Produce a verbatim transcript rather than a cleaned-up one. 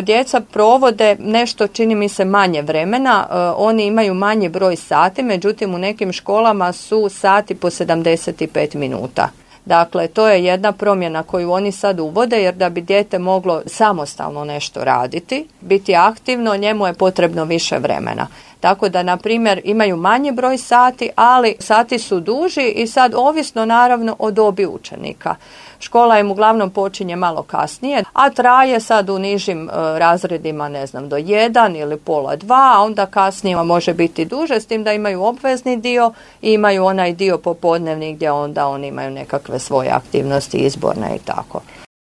Djeca provode nešto, čini mi se, manje vremena, oni imaju manji broj sati, međutim u nekim školama su sati po sedamdeset pet minuta. Dakle, to je jedna promjena koju oni sad uvode, jer da bi dijete moglo samostalno nešto raditi, biti aktivno, njemu je potrebno više vremena. Tako da, na primjer, imaju manji broj sati, ali sati su duži i sad ovisno naravno o dobi učenika. Škola im uglavnom počinje malo kasnije, a traje sad u nižim e, razredima, ne znam, do jedan ili pola dva, a onda kasnije može biti duže, s tim da imaju obvezni dio i imaju onaj dio popodnevni gdje onda oni imaju nekakve svoje aktivnosti izborne i tako.